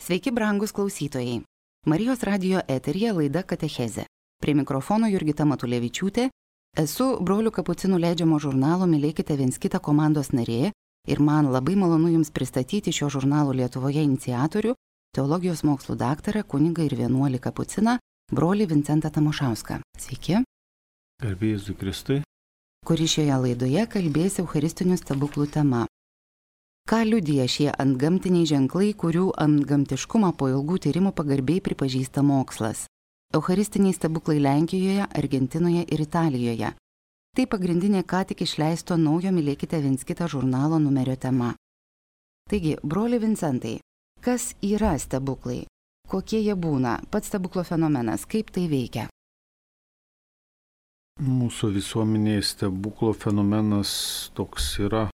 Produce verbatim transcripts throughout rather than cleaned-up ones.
Sveiki, brangus klausytojai. Marijos radijo eteryje laida Katechezė. Prie mikrofono Jurgita Matulevičiūtė. Esu Brolių kapucinų leidžiamo žurnalo Mylėkite viens kitą komandos narė ir man labai malonu Jums pristatyti šio žurnalo Lietuvoje iniciatorių, teologijos mokslų daktarą, kunigą ir vienuolį kapuciną, brolį Vincentą Tamošauską. Sveiki. Garbė Jėzui Kristui. Kuri šioje laidoje kalbės eucharistinių stebuklų tema. Ką liudija šie antgamtiniai ženklai, kurių antgamtiškumą po ilgų tyrimų pagarbiai pripažįsta mokslas? Eucharistiniai stebuklai Lenkijoje, Argentinoje ir Italijoje. Tai pagrindinė ką tik išleisto naujo Mylėkite viens kitą žurnalo numerio tema. Taigi, broli Vincentai, kas yra stebuklai? Kokie jie būna? Pats stebuklo fenomenas, kaip tai veikia? Mūsų visuomenėje stebuklo fenomenas toks yra,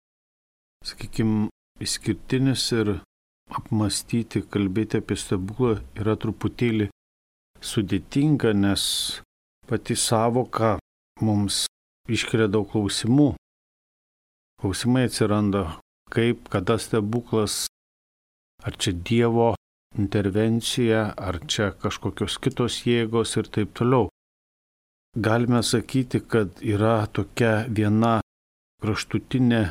sakykime, išskirtinis ir apmastyti, kalbėti apie stebuklą yra truputėlį sudėtinga, nes pati sąvoka mums iškelia daug klausimų. Klausimai atsiranda, kaip, kada stebuklas, ar čia Dievo intervencija, ar čia kažkokios kitos jėgos ir taip toliau. Galime sakyti, kad yra tokia viena kraštutinė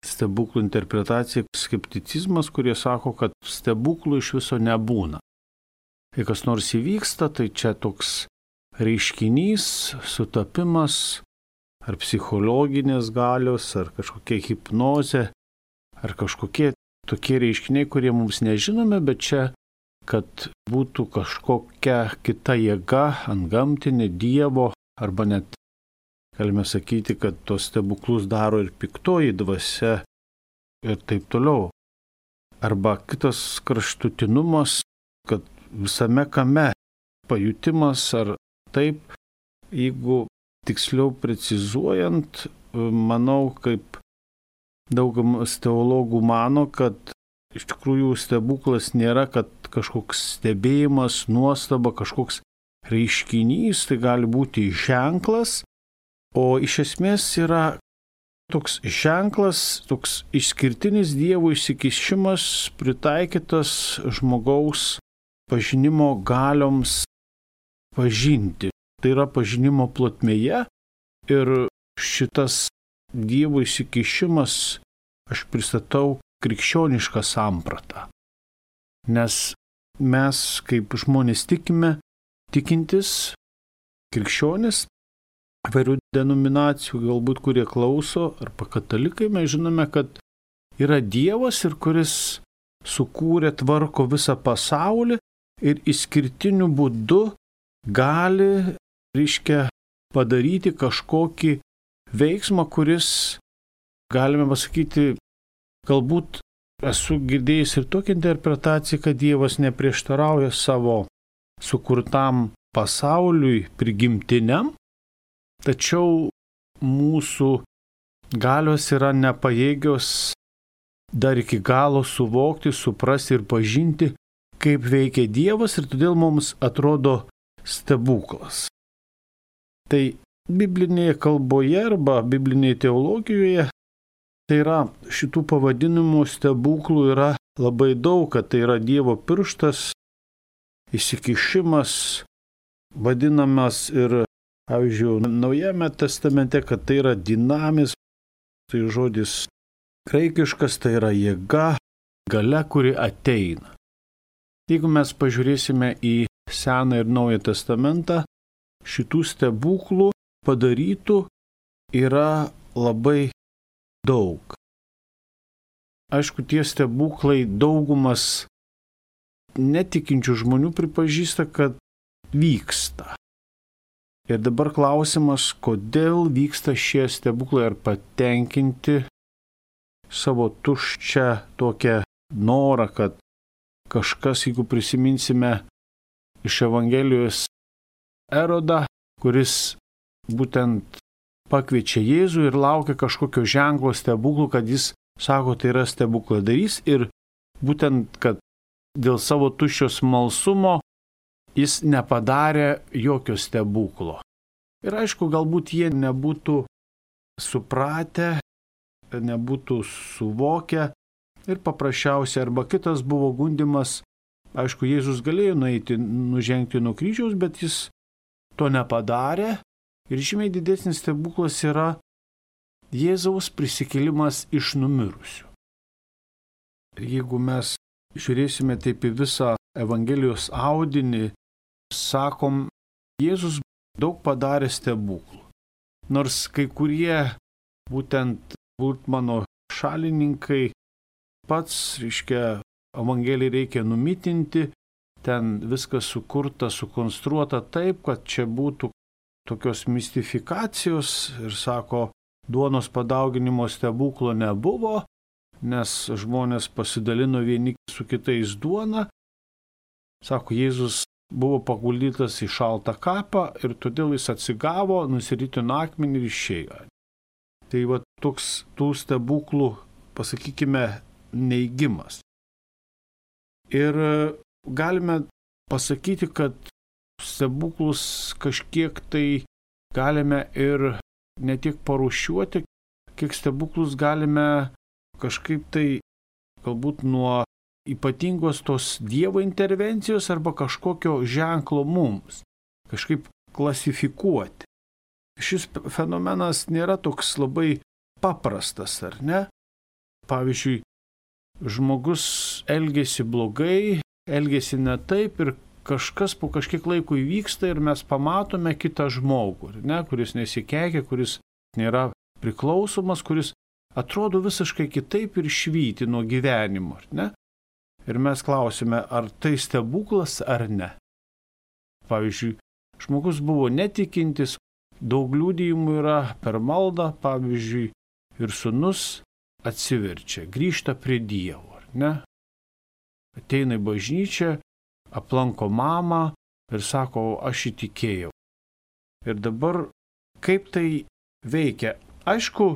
stebuklų interpretacija, skepticizmas, kurie sako, kad stebuklų iš viso nebūna. Kai kas nors įvyksta, tai čia toks reiškinys, sutapimas, ar psichologinės galios, ar kažkokia hipnozė, ar kažkokie tokie reiškiniai, kurie mums nežinome, bet čia, kad būtų kažkokia kita jėga, antgamtinė, Dievo, arba net galime sakyti, kad tos stebuklus daro ir piktoji dvasia ir taip toliau. Arba kitas kraštutinumas, kad visame kame pajutimas ar taip, jeigu tiksliau precizuojant, manau, kaip daugumas teologų mano, kad iš tikrųjų stebuklas nėra, kad kažkoks stebėjimas, nuostaba, kažkoks reiškinys, tai gali būti ženklas, o iš esmės yra toks ženklas, toks išskirtinis Dievo įsikišimas pritaikytas žmogaus pažinimo galioms pažinti. Tai yra pažinimo plotmėje ir šitas Dievo įsikišimas aš pristatau krikščionišką sampratą. Nes mes kaip žmonės tikime, tikintis krikščionis, įvairių denominacijų, galbūt kurie klauso, arba katalikai, mes žinome, kad yra Dievas ir kuris sukūrė, tvarko visą pasaulį ir išskirtiniu būdu gali, reiškia, padaryti kažkokį veiksmą, kuris, galime pasakyti, galbūt esu girdėjęs ir tokią interpretaciją, kad Dievas neprieštarauja savo sukurtam pasauliui prigimtiniam, tačiau mūsų galios yra nepajėgios dar iki galo suvokti, suprasti ir pažinti, kaip veikia Dievas, ir todėl mums atrodo stebuklas. Tai biblinėje kalboje arba biblinėje teologijoje tai yra šitų pavadinimų stebuklų yra labai daug, kad tai yra Dievo pirštas, įsikišimas, vadinamas ir pavyzdžiui, Naujame testamente, kad tai yra dinamis, tai žodis graikiškas, tai yra jėga, galia, kuri ateina. Jeigu mes pažiūrėsime į Seną ir Naują testamentą, šitų stebuklų padarytų yra labai daug. Aišku, tie stebuklai daugumas netikinčių žmonių pripažįsta, kad vyksta. Ir dabar klausimas, kodėl vyksta šie stebuklai, ar patenkinti savo tuščią tokią norą, kad kažkas, jeigu prisiminsime iš Evangelijos Erodą, kuris būtent pakviečia Jėzų ir laukia kažkokio ženklo stebuklų, kad jis sako, tai yra stebukladarys, ir būtent, kad dėl savo tuščio smalsumo jis nepadarė jokio stebuklo. Ir aišku, galbūt jie nebūtų supratę, nebūtų suvokę ir paprasčiausiai arba kitas buvo gundymas Aišku, Jėzus galėjo nueiti, nužengti nuo kryžiaus, bet jis to nepadarė. Ir žymiai didesnis stebuklas yra Jėzaus prisikėlimas iš numirusių. Ir jeigu mes žiūrėsime taip į visą Evangelijos audinį, sakom, Jėzus daug padarė stebuklų. Nors kai kurie būtent Bultmano šalininkai pats, reiškia, Evangeliją reikia numitinti, ten viskas sukurta, sukonstruota taip, kad čia būtų tokios mistifikacijos ir sako, duonos padauginimo stebuklo nebuvo, nes žmonės pasidalino vieni su kitais duona. Sako, Jėzus buvo paguldytas į šaltą kapą ir todėl jis atsigavo, nusiritino akmenį ir išėjo. Tai va toks tų stebuklų, pasakykime, neigimas. Ir galime pasakyti, kad stebuklus kažkiek tai galime ir ne tik parūšiuoti, kiek stebuklus galime kažkaip tai galbūt nuo ypatingos tos Dievo intervencijos arba kažkokio ženklo mums, kažkaip klasifikuoti. Šis fenomenas nėra toks labai paprastas, ar ne? Pavyzdžiui, žmogus elgėsi blogai, elgėsi ne taip ir kažkas po kažkiek laiko įvyksta ir mes pamatome kitą žmogų, ne, kuris nesikeikia, kuris nėra priklausomas, kuris atrodo visiškai kitaip ir švyti nuo gyvenimo, ne? Ir mes klausime, ar tai stebuklas ar ne. Pavyzdžiui, žmogus buvo netikintis, daug liudijimų yra per maldą, pavyzdžiui, ir sūnus atsiverčia, grįžta prie Dievo, ne? Ateina į bažnyčią, aplanko mamą ir sako, aš įtikėjau. Ir dabar kaip tai veikia? Aišku,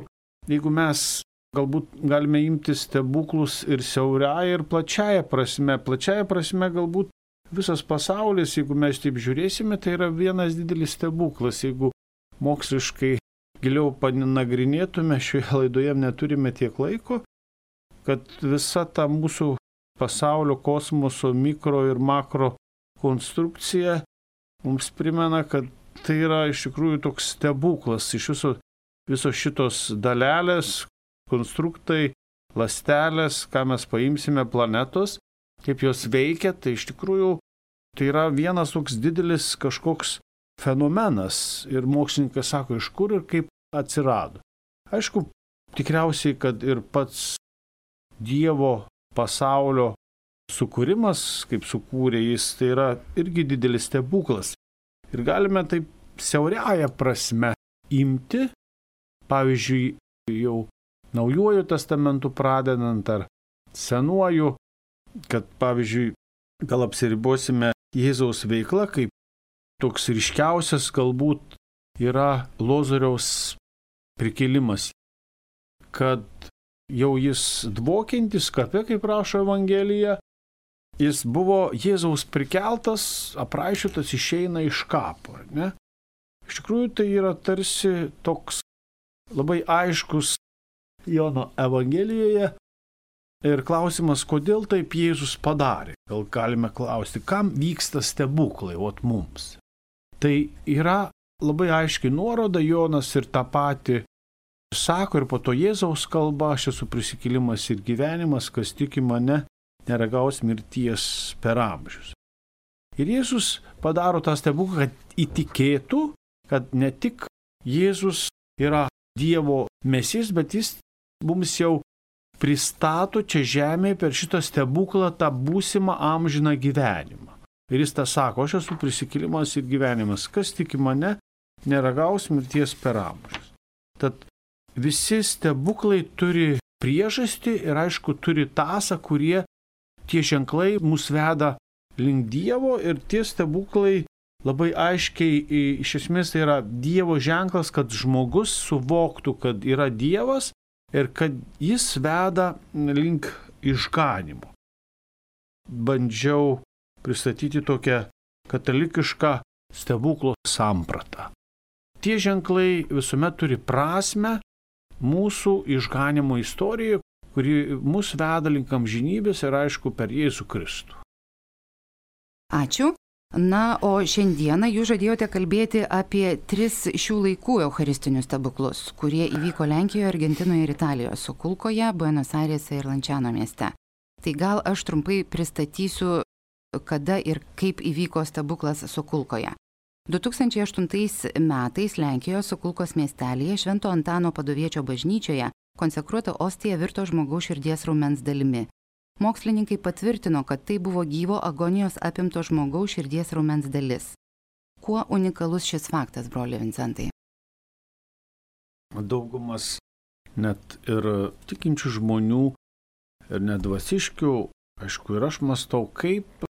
jeigu mes galbūt galime imti stebuklus ir siauriąją ir plačiąją prasme, plačiąją prasme galbūt visas pasaulis, jeigu mes taip žiūrėsime, tai yra vienas didelis stebuklas. Jeigu moksliškai giliau panagrinėtume, šioje laidoje neturime tiek laiko, kad visa ta mūsų pasaulio, kosmoso, mikro ir makro konstrukcija mums primena, kad tai yra iš tikrųjų toks stebuklas. Iš viso, viso šitos dalelės, konstruktai, ląstelės, ką mes paimsime planetos, kaip jos veikia, tai iš tikrųjų tai yra vienas toks didelis kažkoks fenomenas. Ir mokslininkas sako, iš kur ir kaip atsirado. Aišku, tikriausiai, kad ir pats Dievo pasaulio sukūrimas, kaip sukūrė jis, tai yra irgi didelis stebuklas. Ir galime taip siauriąją prasme imti, pavyzdžiui, jau Naujuoju testamentu pradedant ar Senuoju, kad, pavyzdžiui, gal apsiribosime Jėzaus veikla, kaip toks ryškiausias galbūt yra Lozoriaus prikėlimas, kad jau jis dvokiantis kape, kaip rašo Evangelija, jis buvo Jėzaus prikeltas, apraišiotas, išeina iš kapo, ne? Iš tikrųjų, tai yra tarsi toks labai aiškus Jono Evangelijoje. Ir klausimas, kodėl taip Jėzus padarė? Gal galime klausti, kam vyksta stebuklai, ot mums? Tai yra labai aiškiai nuoroda, Jonas ir tą patį sako, ir po to Jėzaus kalba, aš esu prisikėlimas ir gyvenimas, kas tiki mane, neragaus mirties per amžius. Ir Jėzus padaro tą stebuklą, kad įtikėtų, kad ne tik Jėzus yra Dievo Mesijas, bet jis mums jau pristato čia žemėje per šitą stebuklą tą būsimą amžiną gyvenimą. Ir jis tą sako, aš esu prisikėlimas ir gyvenimas, kas tiki mane, neragaus mirties per amžius. Tad visi stebuklai turi priežastį ir aišku turi tąsą, kurie tie ženklai mus veda link Dievo ir tie stebuklai labai aiškiai, iš esmės tai yra Dievo ženklas, kad žmogus suvoktų, kad yra Dievas ir kad jis veda link išganimo. Bandžiau pristatyti tokią katalikišką stebuklo sampratą. Tie ženklai visuomet turi prasmę mūsų išganimo istorijoje, kuri mus veda link amžinybės ir aišku per Jėzų Kristų. Ačiū. Na, o šiandieną jūs žadėjote kalbėti apie tris šių laikų eucharistinius stebuklus, kurie įvyko Lenkijoje, Argentinoje ir Italijoje, Sokulkoje, Buenos Airėse ir Lanciano mieste. Tai gal aš trumpai pristatysiu, kada ir kaip įvyko stebuklas Sokulkoje. du tūkstančiai aštuntais metais Lenkijoje Sokulkos miestelėje Švento Antano Paduviečio bažnyčioje konsekruota ostija virto žmogaus širdies raumens dalimi. Mokslininkai patvirtino, kad tai buvo gyvo agonijos apimto žmogaus širdies raumens dalis. Kuo unikalus šis faktas, broli Vincentai? Daugumas net ir tikinčių žmonių ir nedvasiškių, aišku, ir aš mąstau, kaip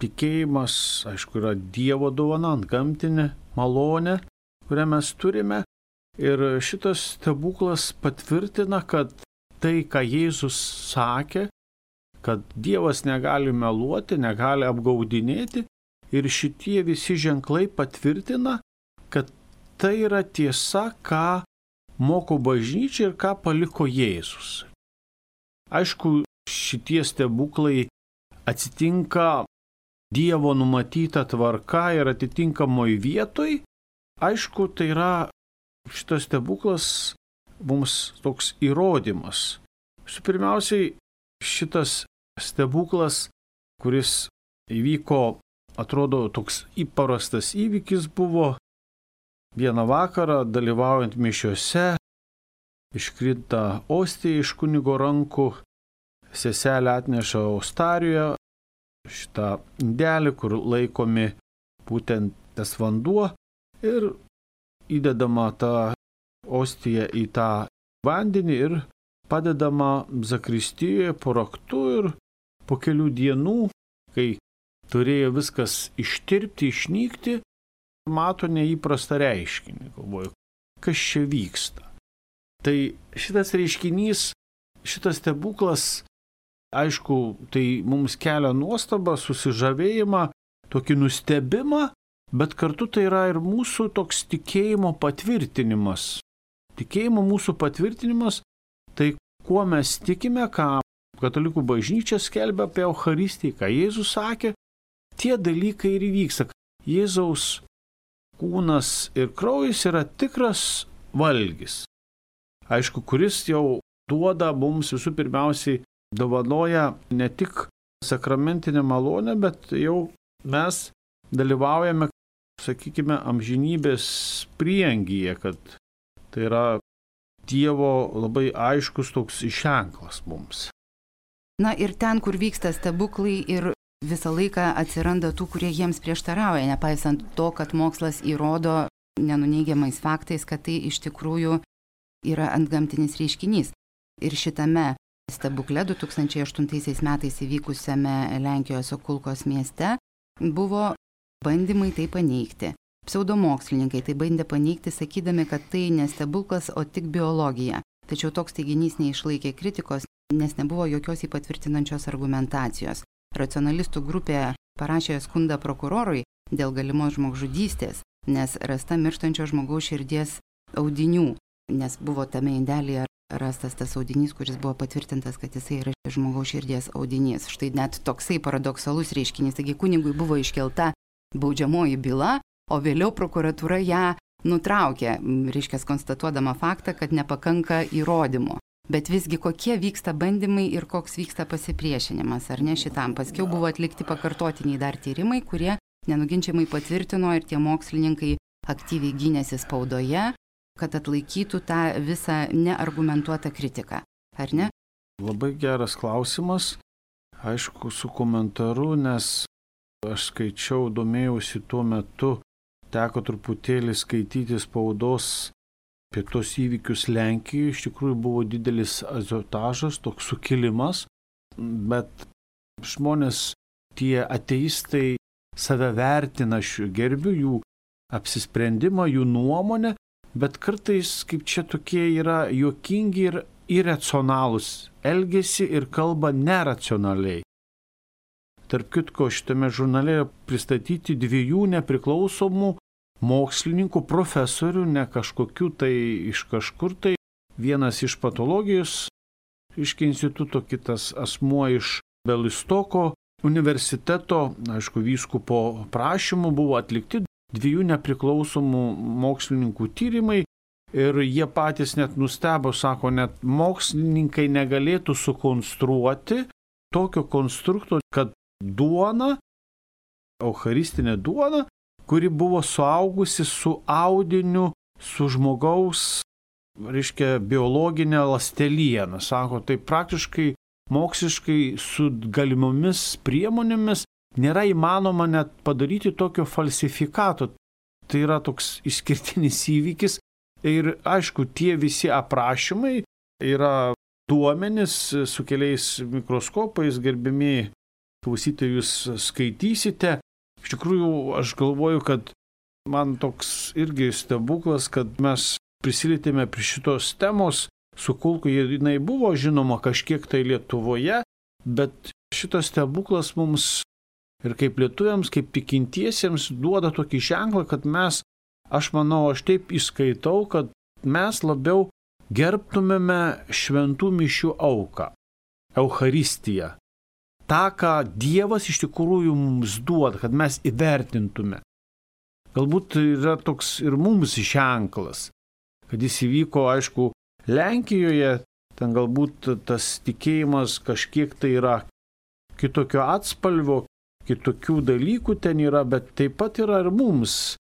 tikėjimas, aišku, yra Dievo dovana, antgamtinė malonė, kurią mes turime. Ir šitas stebuklas patvirtina, kad tai, ką Jėzus sakė, kad Dievas negali meluoti, negali apgaudinėti, ir šitie visi ženklai patvirtina, kad tai yra tiesa, ką moko bažnyčia ir ką paliko Jėzus. Aišku, šitie stebuklai atsitinka Dievo numatyta tvarka ir atitinkamoj vietoj. Aišku, tai yra šitas stebuklas mums toks įrodymas. Su pirmiausiai, šitas stebuklas, kuris įvyko, atrodo, toks įprastas įvykis buvo. Vieną vakarą, dalyvaujant mišiose, iškrinta ostija iš kunigo rankų, seselė atneša ostarijoje šitą indelį, kur laikomi būtent tas vanduo, ir įdedama ta ostija į tą vandenį ir padedama zakristijoje po raktu, ir po kelių dienų, kai turėjo viskas ištirpti, išnykti, mato neįprastą reiškinį. Galvoju, kas čia vyksta. Tai šitas reiškinys, šitas stebuklas, aišku, tai mums kelia nuostabą, susižavėjimą, tokį nustebimą, bet kartu tai yra ir mūsų toks tikėjimo patvirtinimas. Tikėjimo mūsų patvirtinimas, tai kuo mes tikime, ką katalikų bažnyčia skelbia apie Eucharistiją, ką Jėzus sakė, tie dalykai ir įvyksta. Jėzaus kūnas ir kraujas yra tikras valgis. Aišku, kuris jau duoda mums visų pirmiausiai, dovanoja ne tik sakramentinę malonę, bet jau mes dalyvaujame, sakykime, amžinybės prieangyje, kad tai yra Dievo labai aiškus toks ženklas mums. Na ir ten, kur vyksta stebuklai, ir visą laiką atsiranda tų, kurie jiems prieštarauja, nepaisant to, kad mokslas įrodo nenuneigiamais faktais, kad tai iš tikrųjų yra antgamtinis reiškinys. Ir šitame stebukle du tūkstančiai aštuntaisiais metais įvykusiame Lenkijos Sokulkos mieste buvo bandymai tai paneigti. Pseudomokslininkai tai bandė paneigti, sakydami, kad tai ne stebuklas, o tik biologija. Tačiau toks teiginys neišlaikė kritikos, nes nebuvo jokios įpatvirtinančios argumentacijos. Racionalistų grupė parašė skundą prokurorui dėl galimos žmogžudystės, nes rasta mirštančio žmogaus širdies audinių, nes buvo tame indelyje rastas tas audinys, kuris buvo patvirtintas, kad jisai yra žmogaus širdies audinys. Štai net toksai paradoksalus reiškinys. Taigi kunigui buvo iškelta baudžiamoji byla, o vėliau prokuratūra ją nutraukė, reiškia, konstatuodama faktą, kad nepakanka įrodymų. Bet visgi kokie vyksta bandymai ir koks vyksta pasipriešinimas, ar ne šitam. Paskiau buvo atlikti pakartotiniai dar tyrimai, kurie nenuginčiamai patvirtino, ir tie mokslininkai aktyviai gynėsi spaudoje, kad atlaikytų tą visą neargumentuotą kritiką, ar ne? Labai geras klausimas, aišku, su komentaru, nes aš skaičiau, domėjausi tuo metu, teko truputėlį skaityti spaudos apie tos įvykius Lenkijoje. Iš tikrųjų buvo didelis aziotažas, toks sukilimas, bet žmonės, tie ateistai, save vertina, aš gerbiu jų apsisprendimą, jų nuomonę, bet kartais kaip čia tokie yra juokingi ir iracionalūs, elgiasi ir kalba neracionaliai. Tarp kitko, šitame žurnale pristatyti dviejų nepriklausomų mokslininkų, profesorių, ne kažkokių tai iš kažkur tai, vienas iš patologijos iš instituto, kitas asmuo iš Belistoko universiteto, aišku, vyskupo prašymu buvo atlikti dviejų nepriklausomų mokslininkų tyrimai ir jie patys net nustebo, sako, net mokslininkai negalėtų sukonstruoti tokio konstrukto, kad duona, eucharistinė duona, kuri buvo suaugusi su audiniu, su žmogaus, reiškia, biologinė ląsteliena. Sako, tai praktiškai moksliškai su galimomis priemonėmis nėra įmanoma net padaryti tokio falsifikato. Tai yra toks išskirtinis įvykis ir aišku, tie visi aprašymai yra duomenys su keliais mikroskopais, gerbimi klausytojai, jūs skaitysite. Iš tikrųjų, aš galvoju, kad man toks irgi stebuklas, kad mes prisilietėme prie šitos temos. Su kulku jinai buvo žinoma kažkiek tai Lietuvoje, bet šitas stebuklas mums ir kaip lietuviams, kaip tikintiesiems duoda tokį ženklą, kad mes, aš manau, aš taip įskaitau, kad mes labiau gerbtumėme šventų mišių auką, Eucharistiją. Ta, ką Dievas iš tikrųjų mums duoda, kad mes įvertintume. Galbūt yra toks ir mums ženklas, kad jis įvyko, aišku, Lenkijoje, ten galbūt tas tikėjimas kažkiek tai yra kitokio atspalvio, kitokių dalykų ten yra, bet taip pat yra ir mums.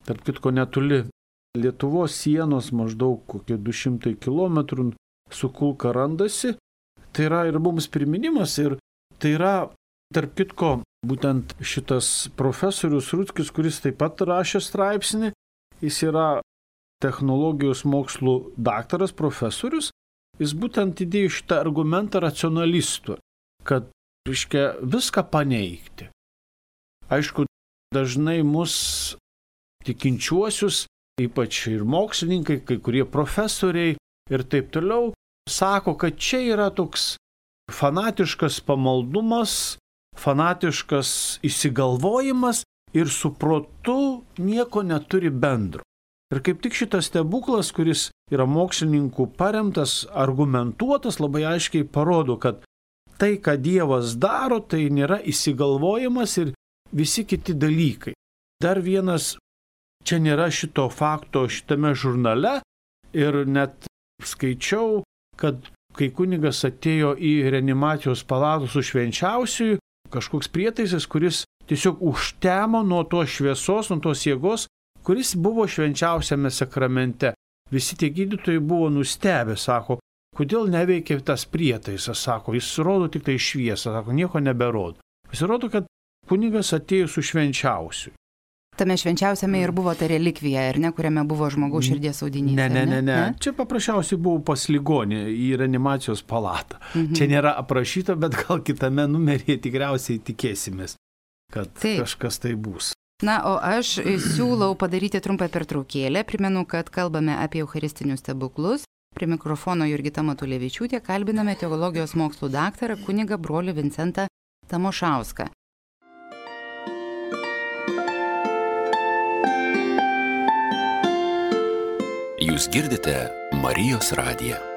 Tarp kitko netoli Lietuvos sienos, maždaug kokie du šimtai kilometrų su kulka randasi. Tai yra ir mums priminimas ir tai yra, tarp kitko, būtent šitas profesorius Rutskis, kuris taip pat rašė straipsnį, jis yra technologijos mokslų daktaras, profesorius, jis būtent įdėjo šitą argumentą racionalistų, kad, reiškia, viską paneigti. Aišku, dažnai mus tikinčiuosius, ypač ir mokslininkai, kai kurie profesoriai ir taip toliau, sako, kad čia yra toks fanatiškas pamaldumas, fanatiškas įsigalvojimas ir su protu nieko neturi bendro. Ir kaip tik šitas stebuklas, kuris yra mokslininkų paremtas, argumentuotas, labai aiškiai parodo, kad tai, ką Dievas daro, tai nėra įsigalvojimas ir visi kiti dalykai. Dar vienas, čia nėra šito fakto šitame žurnale ir net skaičiau, kad kai kunigas atėjo į reanimacijos palatą su švenčiausiuoju, kažkoks prietaisas, kuris tiesiog užtemo nuo tos šviesos, nuo tos jėgos, kuris buvo švenčiausiame sakramente. Visi tie gydytojai buvo nustebę, sako, kodėl neveikia tas prietaisas, sako, jis rodo tik tai šviesą, sako, nieko neberodo. Pasirodo, kad kunigas atėjo su švenčiausiu. Tame švenčiausiame ir buvo ta relikvija, ar ne, kuriame buvo žmogaus širdies audinys. Ne, ne, ne, ne, ne. Čia paprasčiausiai buvo pas ligonį į reanimacijos palatą. Mhm. Čia nėra aprašyta, bet gal kitame numeryje tikriausiai tikėsimės, kad Taip. kažkas tai bus. Na, o aš siūlau padaryti trumpą pertraukėlę. Primenu, kad kalbame apie eucharistinius stebuklus. Prie mikrofono Jurgita Matulevičiūtė kalbiname teologijos mokslų daktarą kunigą brolį Vincentą Tamošauską. Jūs girdite Marijos radiją.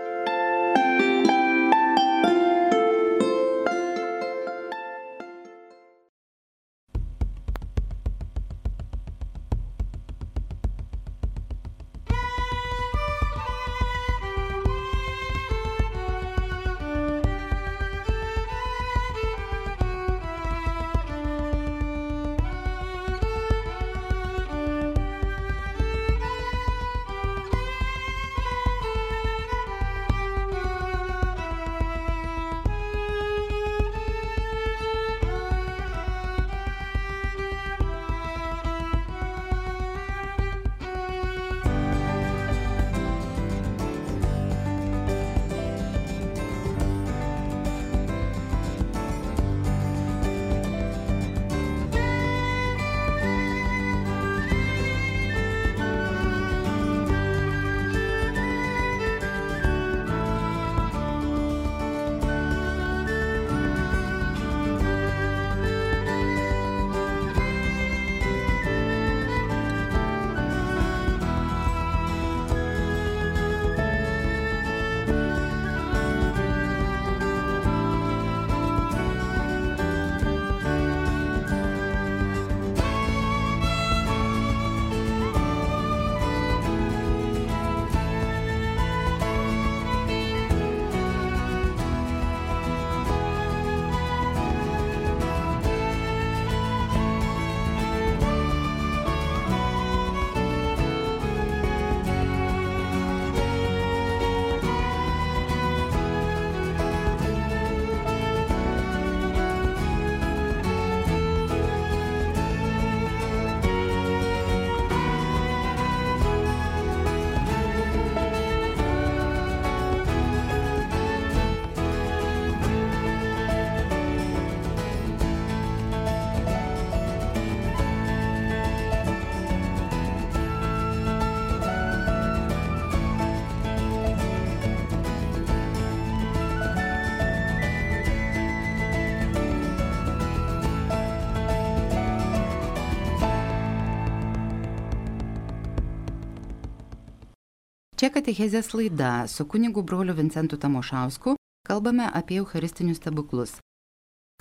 Čia katechezės laida su kunigu broliu Vincentu Tamošausku kalbame apie eucharistinius stebuklus.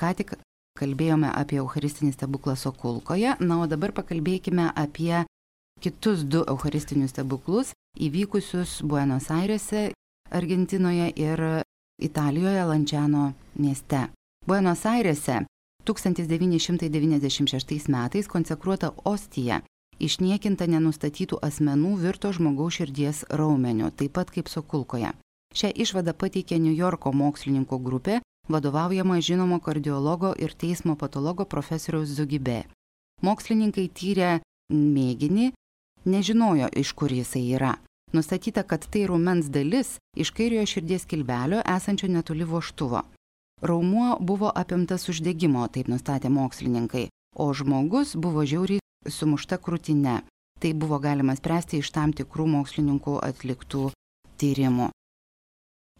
Ką tik kalbėjome apie eucharistinį stebuklą Sokulkoje, na, o dabar pakalbėkime apie kitus du eucharistinius stebuklus įvykusius Buenos Airėse, Argentinoje ir Italijoje, Lanciano mieste. Buenos Airėse tūkstantis devyni šimtai devyniasdešimt šeštais metais konsekruota ostija išniekinta nenustatytų asmenų virto žmogaus širdies raumeniu, taip pat kaip Sokulkoje. Šią išvadą pateikė New Yorko mokslininkų grupė, vadovaujama žinomo kardiologo ir teismo patologo profesoriaus Zugibė. Mokslininkai tyrė mėginį, nežinojo, iš kur jisai yra. Nustatyta, kad tai raumens dalis iš kairiojo širdies kilbelio esančio netoli vožtuvo. Raumuo buvo apimtas uždegimo, taip nustatė mokslininkai, o žmogus buvo žiauriai sumušta krūtine. Tai buvo galima spręsti iš tam tikrų mokslininkų atliktų tyrimų.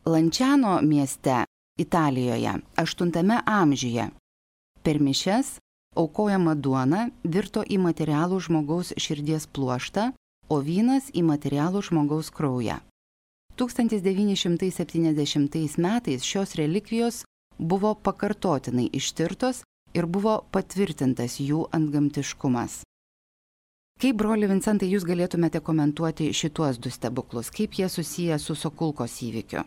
Lanciano mieste, Italijoje, aštuntame amžiuje per mišias aukojama duona virto į materialų žmogaus širdies pluoštą, o vynas į materialų žmogaus kraują. tūkstantis devyni šimtai septyniasdešimtais metais šios relikvijos buvo pakartotinai ištirtos ir buvo patvirtintas jų antgamtiškumas. Kaip, broli Vincentai, jūs galėtumėte komentuoti šituos du stebuklus? Kaip jie susiję su Sokulkos įvykiu?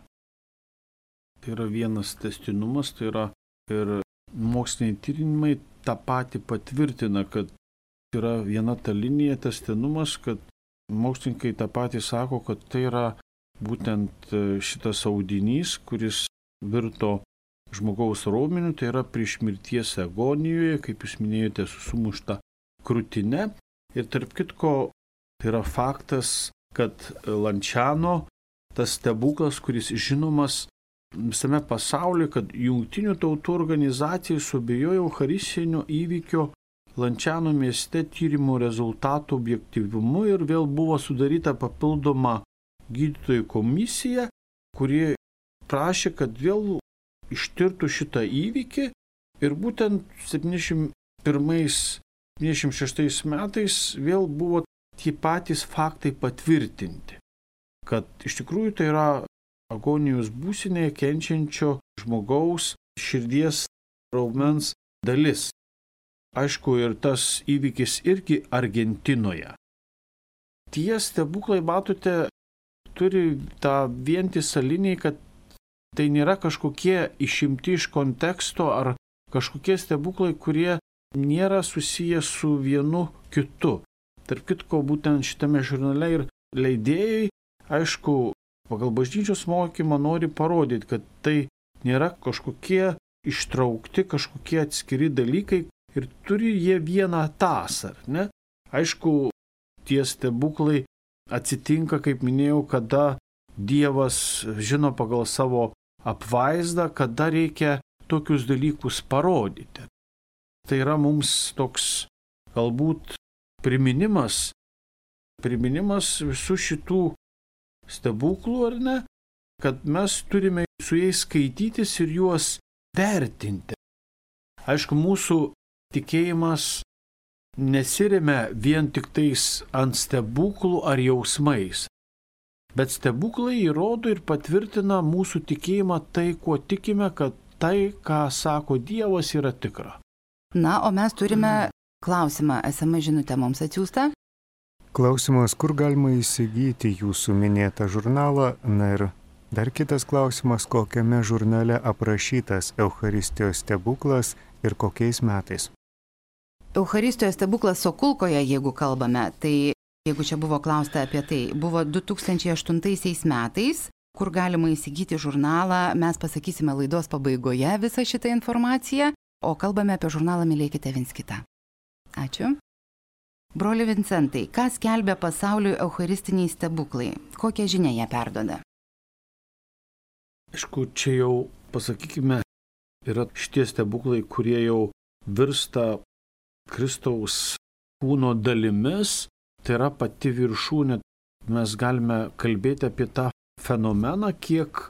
Tai yra vienas tęstinumas, tai yra ir moksliniai tyrimai tą patį patvirtina, kad yra viena ta linija tęstinumas, kad mokslininkai tą patį sako, kad tai yra būtent šitas audinys, kuris virto žmogaus raumeniu, tai yra prieš mirties agonijoje, kaip jūs minėjote, su sumušta krūtine. Ir tarp kitko, tai yra faktas, kad Lanciano, tas stebuklas, kuris žinomas visame pasaulyje, kad Jungtinių tautų organizacijai suabejojo eucharistinio įvykio Lanciano mieste tyrimų rezultatų objektyvumu ir vėl buvo sudaryta papildoma gydytojų komisija, kuri prašė, kad vėl ištirtų šitą įvykį ir būtent septyniasdešimt pirmais septyniasdešimt šeštais metais vėl buvo tie patys faktai patvirtinti, kad iš tikrųjų tai yra agonijos būsenėje kenčiančio žmogaus širdies raumens dalis. Aišku, ir tas įvykis irgi Argentinoje. Tie stebuklai, matote, turi tą vientisą liniją, kad tai nėra kažkokie išimti iš konteksto ar kažkokie stebuklai, kurie nėra susiję su vienu kitu. Tarp kitko, būtent šitame žurnale ir leidėjai, aišku, pagal bažnyčios mokymą nori parodyti, kad tai nėra kažkokie ištraukti, kažkokie atskiri dalykai ir turi jie vieną tasą, ar ne? Aišku, tie stebuklai atsitinka, kaip minėjau, kada Dievas žino pagal savo apvaizdą, kada reikia tokius dalykus parodyti. Tai yra mums toks galbūt priminimas, priminimas visų šitų stebuklų, ar ne, kad mes turime su jais skaitytis ir juos vertinti. Aišku, mūsų tikėjimas nesiremia vien tik tais ant stebuklų ar jausmais, bet stebuklai įrodo ir patvirtina mūsų tikėjimą tai, kuo tikime, kad tai, ką sako Dievas, yra tikra. Na, o mes turime klausimą, es em es žinutę mums atsiųstą. Klausimas, kur galima įsigyti jūsų minėtą žurnalą? Na ir dar kitas klausimas, kokiame žurnale aprašytas Eucharistijos stebuklas ir kokiais metais? Eucharistijos stebuklas Sokulkoje, jeigu kalbame, tai jeigu čia buvo klausta apie tai, buvo du tūkstančiai aštuntaisiais metais, kur galima įsigyti žurnalą, mes pasakysime laidos pabaigoje visą šitą informaciją, o kalbame apie žurnalą Mylėkite viens kitą. Ačiū. Broli Vincentai, ką skelbia pasauliui eucharistiniai stebuklai? Kokią žinią jie perduoda? Aišku, čia jau, pasakykime, yra šitie stebuklai, kurie jau virsta Kristaus kūno dalimis, tai yra pati viršūnė. Mes galime kalbėti apie tą fenomeną, kiek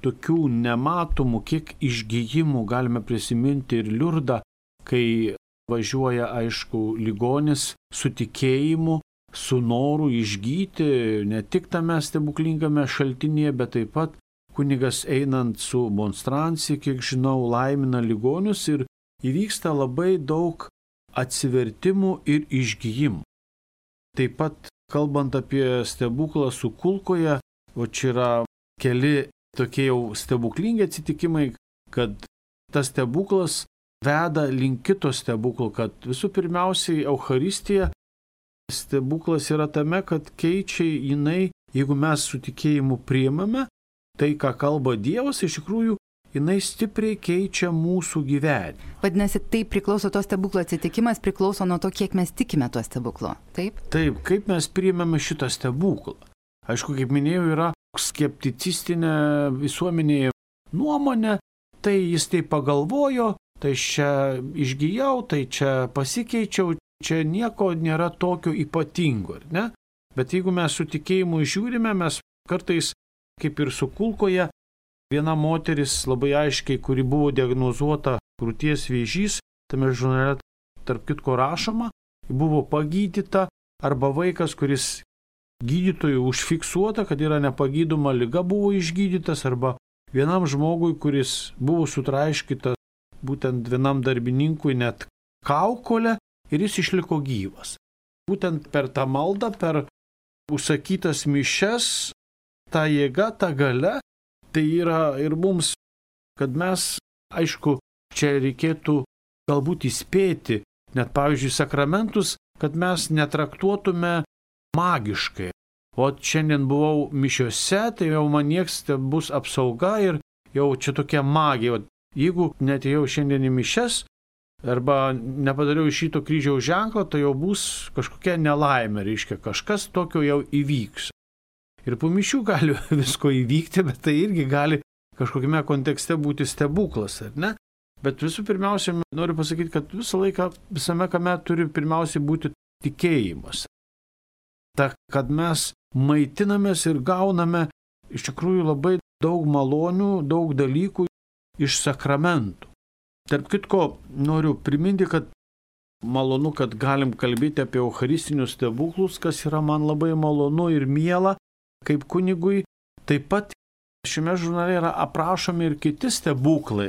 tokių nematomų, kiek išgijimų galime prisiminti ir Liurdą, kai važiuoja, aišku, ligonis su tikėjimu su noru išgyti ne tik tame stebuklingame šaltinėje, bet taip pat kunigas einant su monstrancija, kiek žinau, laimina ligonius ir įvyksta labai daug atsivertimų ir išgijimų. Taip pat, kalbant apie stebuklą su kulkoje, o čia yra keli tokie jau stebuklingi atsitikimai, kad tas stebuklas veda link kito stebuklo, kad visų pirmiausiai Eucharistija stebuklas yra tame, kad keičia jinai, jeigu mes su tikėjimu priimame, tai, ką kalba Dievas, iš tikrųjų, jinai stipriai keičia mūsų gyvenimą. Vadinasi, tai priklauso to stebuklo atsitikimas, priklauso nuo to, kiek mes tikime to stebuklo, taip? Taip, kaip mes priimame šitą stebuklą. Aišku, kaip minėjau, yra skepticistinė visuomenėje nuomonė, tai jis tai pagalvojo, tai čia išgijau, tai čia pasikeičiau, čia nieko nėra tokio ypatingo, ar ne? Bet jeigu mes su tikėjimu žiūrime, mes kartais, kaip ir su kulkoje, viena moteris labai aiškiai, kuri buvo diagnozuota krūties vėžys, tame žurnale tarp kitko rašoma, buvo pagydyta, arba vaikas, kuris gydytojų užfiksuota, kad yra nepagydoma liga, buvo išgydytas, arba vienam žmogui, kuris buvo sutraiškytas, būtent vienam darbininkui net kaukolę, ir jis išliko gyvas. Būtent per tą maldą, per užsakytas mišias, ta jėga, ta galia, tai yra ir mums, kad mes, aišku, čia reikėtų galbūt įspėti, net pavyzdžiui, sakramentus, kad mes netraktuotume magiškai. O šiandien buvau mišiose, tai jau man nieks bus apsauga ir jau čia tokia magija. O jeigu netėjau šiandien į mišias, arba nepadariau iš šito kryžiaus ženklo, tai jau bus kažkokia nelaimė, reiškia, kažkas tokio jau įvyks. Ir po mišių gali visko įvykti, bet tai irgi gali kažkokiame kontekste būti stebuklas, ar ne? Bet visų pirmiausia, noriu pasakyti, kad visą laiką visame kame turi pirmiausiai būti tikėjimas. Ta, kad mes maitinamės ir gauname iš tikrųjų labai daug malonių, daug dalykų iš sakramentų. Tarp kitko, noriu priminti, kad malonu, kad galim kalbėti apie eucharistinius stebuklus, kas yra man labai malonu ir miela, kaip kunigui. Taip pat šiame žurnale yra aprašomi ir kiti stebuklai.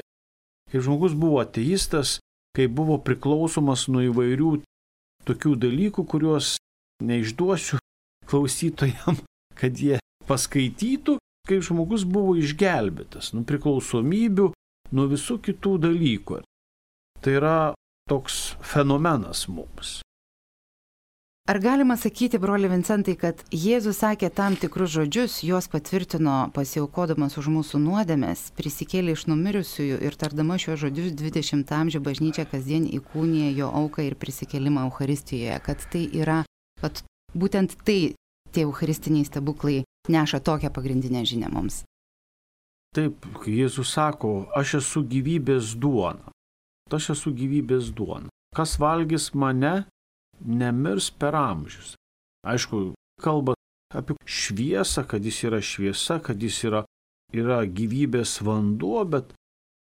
Kai žmogus buvo ateistas, kai buvo priklausomas nuo įvairių tokių dalykų, kuriuos neišduosiu klausytojam, kad jie paskaitytų, kaip žmogus buvo išgelbėtas nuo priklausomybių, nuo visų kitų dalykų. Tai yra toks fenomenas mums. Ar galima sakyti, broli Vincentai, kad Jėzus sakė tam tikrus žodžius, juos patvirtino pasiaukodamas už mūsų nuodėmes, prisikėlė iš numirusiųjų ir tardama šiuos žodžius dvidešimtą amžių bažnyčia kasdien įkūnija jo auką ir prisikėlimą Eucharistijoje, kad tai yra, kad būtent tai tie eucharistiniai stebuklai neša tokią pagrindinę žinią mums? Taip, Jėzus sako, aš esu gyvybės duona. Aš esu gyvybės duona. Kas valgys mane, nemirs per amžius. Aišku, kalba apie šviesą, kad jis yra šviesa, kad jis yra, yra gyvybės vanduo, bet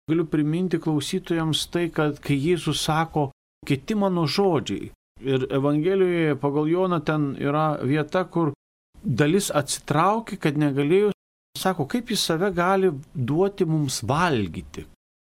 galiu priminti klausytojams tai, kad kai Jėzus sako, kiti mano žodžiai. Ir Evangelijoje pagal Joną ten yra vieta, kur dalis atsitraukė, kad negalėjo. Sako, kaip jis save gali duoti mums valgyti.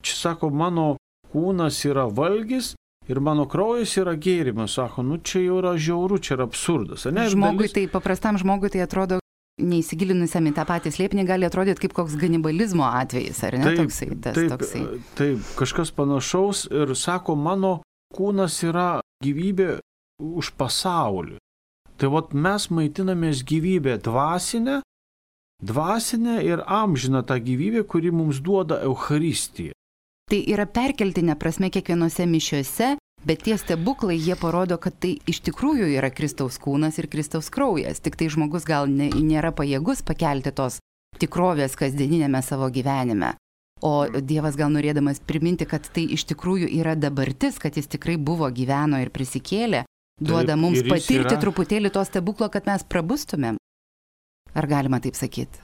Čia sako, mano kūnas yra valgis ir mano kraujas yra gėrimas. Sako, nu čia jau yra žiauru, čia yra absurdas. Ne? Žmogui dalis... tai, paprastam žmogui tai atrodo, neįsigilinusiam į tą patį slėpinį, gali atrodyti kaip koks ganibalizmo atvejis, ar ne? Taip, toksai, tas, taip, toksai. Taip, kažkas panašaus ir sako, mano kūnas yra gyvybė už pasaulį. Tai vat mes maitinamės gyvybę dvasinę, dvasinę ir amžiną tą gyvybę, kuri mums duoda Eucharistija. Tai yra perkeltinė prasme kiekvienose mišiose, bet tie stebuklai, jie parodo, kad tai iš tikrųjų yra Kristaus kūnas ir Kristaus kraujas. Tik tai žmogus gal ne, nėra pajėgus pakelti tos tikrovės kasdieninėme savo gyvenime. O Dievas gal norėdamas priminti, kad tai iš tikrųjų yra dabartis, kad jis tikrai buvo, gyveno ir prisikėlė, duoda taip, mums patirti yra... truputėlį to stebuklo, kad mes prabustumėm. Ar galima taip sakyti?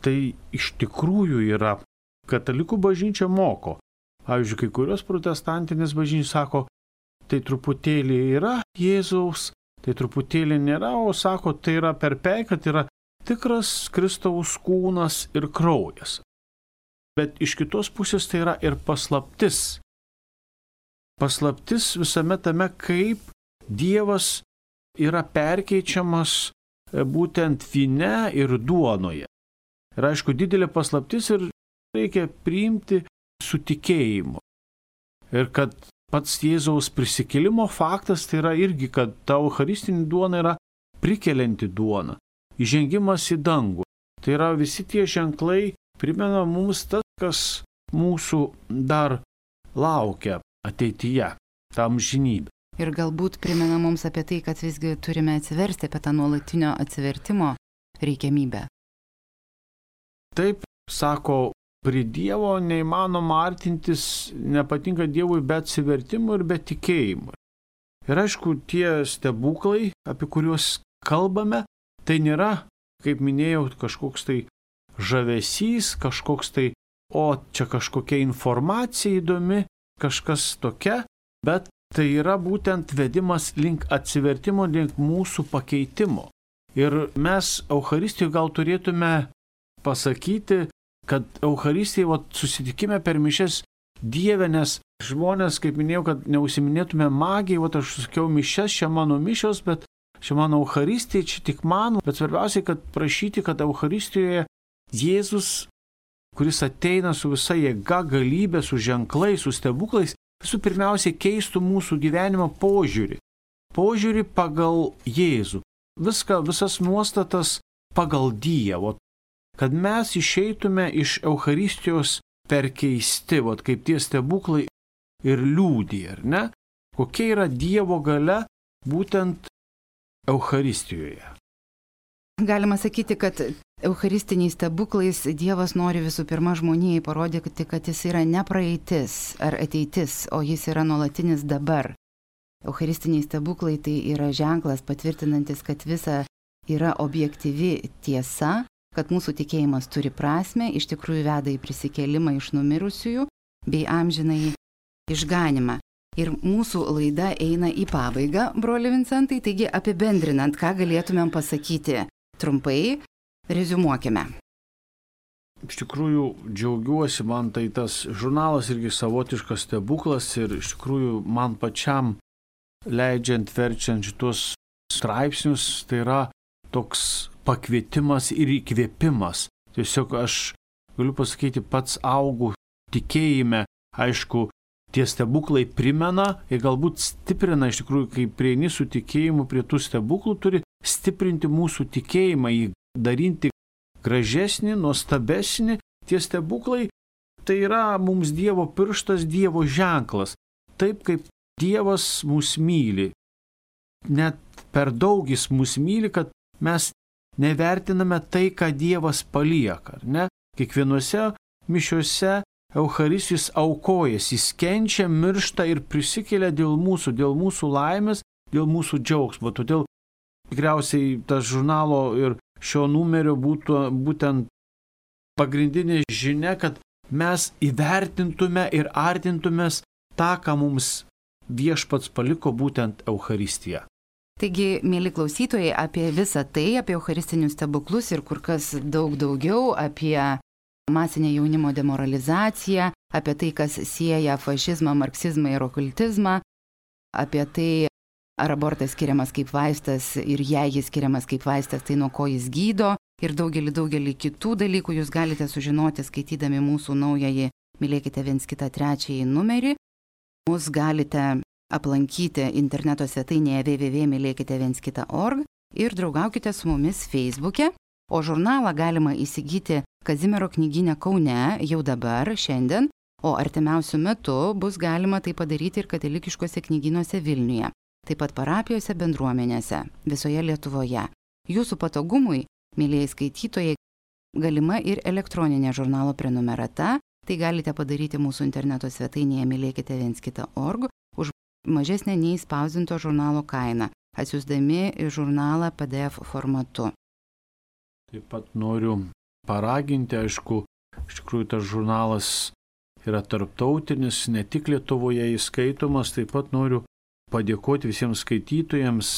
Tai iš tikrųjų yra. Katalikų bažnyčia moko. Pavyzdžiui, kai kurios protestantinės bažnyčios sako, tai truputėlį yra Jėzaus, tai truputėlį nėra, o sako, tai yra perpei, kad yra tikras Kristaus kūnas ir kraujas. Bet iš kitos pusės tai yra ir paslaptis. Paslaptis visame tame, kaip Dievas yra perkeičiamas būtent vyne ir duonoje. Ir aišku, didelė paslaptis ir reikia priimti su tikėjimu. Ir kad pats Jėzaus prisikėlimo faktas tai yra irgi, kad ta eucharistinė duona yra prikelianti duona, įžengimas į dangų. Tai yra visi tie ženklai primena mums tas, kas mūsų dar laukia ateityje, tą amžinybę. Ir galbūt primena mums apie tai, kad visgi turime atsiversti, apie tą nuolatinio atsivertimo reikiamybę. Taip, sako, prie Dievo neįmanoma artintis, nepatinka Dievui be atsivertimo ir be tikėjimo. Ir aišku, tie stebuklai, apie kuriuos kalbame, tai nėra, kaip minėjau, kažkoks tai žavesys, kažkoks tai, o čia kažkokia informacija įdomi, kažkas tokia, bet tai yra būtent vedimas link atsivertimo, link mūsų pakeitimo. Ir mes Eucharistijoje gal turėtume pasakyti, kad Eucharistijai vat, susitikime per mišes Dieve, nes žmonės, kaip minėjau, kad neužsiminėtume magijai, vat, aš sakiau mišes, čia mano mišios, bet čia mano Eucharistija, čia tik mano, bet svarbiausiai, kad prašyti, kad Eucharistijoje Jėzus, kuris ateina su visa jėga, galybė, su ženklais, su stebuklais, visų pirmiausiai keistų mūsų gyvenimo požiūrį. Požiūrį pagal Jėzų. Viską, visas nuostatas pagal Dievą. Kad mes išeitume iš Eucharistijos perkeisti, vat, kaip tie stebuklai ir liudija, ar ne? Kokia yra Dievo galia būtent Eucharistijoje? Galima sakyti, kad eucharistiniais stebuklais Dievas nori visų pirma žmonijai parodyti, kad jis yra ne praeitis ar ateitis, o jis yra nuolatinis dabar. Eucharistiniai stebuklai tai yra ženklas patvirtinantis, kad visa yra objektyvi tiesa, kad mūsų tikėjimas turi prasmę, iš tikrųjų veda į prisikėlimą iš numirusiųjų bei amžinąjį išganimą. Ir mūsų laida eina į pabaigą, broli Vincentai, taigi apibendrinant, ką galėtumėm pasakyti trumpai, reziumuokime. Iš tikrųjų džiaugiuosi, man tai tas žurnalas irgi savotiškas stebuklas ir iš tikrųjų man pačiam leidžiant, verčiant šitos straipsnius, tai yra toks pakvietimas ir įkvėpimas. Tiesiog aš galiu pasakyti, pats augu tikėjime, aišku, tie stebuklai primena ir galbūt stiprina, iš tikrųjų, kai prieini su tikėjimu prie tų stebuklų, turi stiprinti mūsų tikėjimą, jį daryti gražesnį, nuostabesnį. Tie stebuklai tai yra mums Dievo pirštas, Dievo ženklas. Taip kaip Dievas mus myli. Net per daug jis mus myli, kad mes nevertiname tai, ką Dievas palieka, ne? Kiekvienose mišiose Eucharistijos aukojas, jis kenčia, miršta ir prisikelia dėl mūsų, dėl mūsų laimės, dėl mūsų džiaugsmo. Todėl tikriausiai tas žurnalo ir šio numerio būtų būtent pagrindinė žinia, kad mes įvertintume ir artintumės tą, ką mums Viešpats paliko, būtent Eucharistiją. Taigi, mėly klausytojai, apie visą tai, apie eucharistinius stebuklus ir kur kas daug daugiau, apie masinę jaunimo demoralizaciją, apie tai, kas sieja fašizmą, marksizmą ir okultizmą, apie tai, ar abortas skiriamas kaip vaistas ir jei jis skiriamas kaip vaistas, tai nuo ko jis gydo ir daugelį, daugelį kitų dalykų jūs galite sužinoti skaitydami mūsų naująjį Mylėkite viens kitą trečiąjį numerį. Mus galite aplankyti interneto svetainėje w w w taškas mylėkite viens kitą taškas org ir draugaukite su mumis Facebook'e, o žurnalą galima įsigyti Kazimiero knygyne Kaune jau dabar, šiandien, o artimiausiu metu bus galima tai padaryti ir katalikiškose knygynuose Vilniuje, taip pat parapijose, bendruomenėse, visoje Lietuvoje. Jūsų patogumui, mėlyjei skaitytojai, galima ir elektroninė žurnalo prenumerata, tai galite padaryti mūsų interneto svetainėje mylėkite viens kitą taškas org už mažesnę nei spausdinto žurnalo kainą, atsiųsdami žurnalą P D F formatu. Taip pat noriu paraginti, aišku, iš tikrųjų tas žurnalas yra tarptautinis, ne tik Lietuvoje įskaitomas, taip pat noriu padėkoti visiems skaitytojams,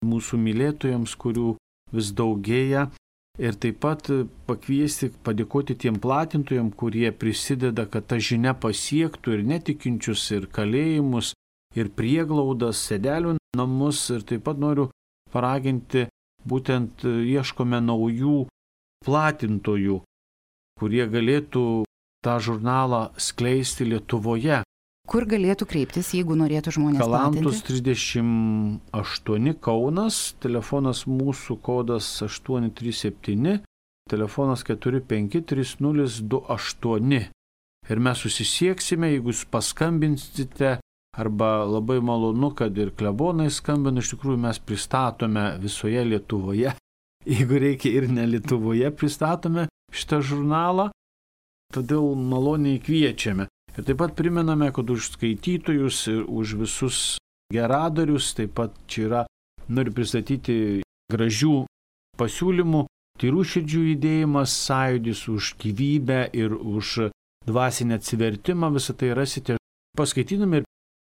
mūsų mylėtojams, kurių vis daugėja. Ir taip pat pakviesti, padėkoti tiem platintojams, kurie prisideda, kad ta žinia pasiektų ir netikinčius, ir kalėjimus, ir prieglaudas, sėdelių namus. Ir taip pat noriu paraginti, būtent ieškome naujų platintojų, kurie galėtų tą žurnalą skleisti Lietuvoje. Kur galėtų kreiptis, jeigu norėtų žmonės platinti? Kalantos trisdešimt aštuoni Kaunas, telefonas mūsų kodas aštuoni trys septyni, telefonas keturi penki trys nulis du aštuoni. Ir mes susisieksime, jeigu jūs paskambinsite, arba labai malonu, kad ir klebonai skambina, iš tikrųjų mes pristatome visoje Lietuvoje. Jeigu reikia ir ne Lietuvoje, pristatome šitą žurnalą, todėl maloniai kviečiame. Ir taip pat primename, kad už skaitytojus ir už visus geradarius, taip pat čia yra, noriu pristatyti gražių pasiūlymų, Tyrų širdžių judėjimas, sąjūdis už gyvybę ir už dvasinę atsivertimą, visą tai rasite paskaitydami. Ir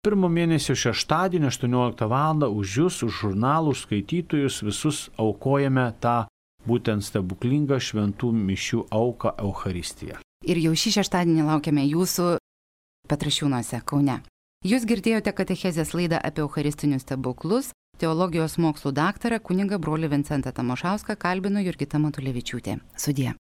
pirmo mėnesio šeštadienį aštuonioliktą valandą už jūs, už žurnalų, už skaitytojus visus aukojame tą būtent stebuklingą šventų mišių auką Eucharistiją. Ir jau šį šeštadienį laukiame jūsų Petrašiūnuose, Kaune. Jūs girdėjote katechezės laidą apie eucharistinius stebuklus. Teologijos mokslų daktarą kunigą brolį Vincentą Tamošauską kalbino Jurgita Matulevičiūtė. Sudie.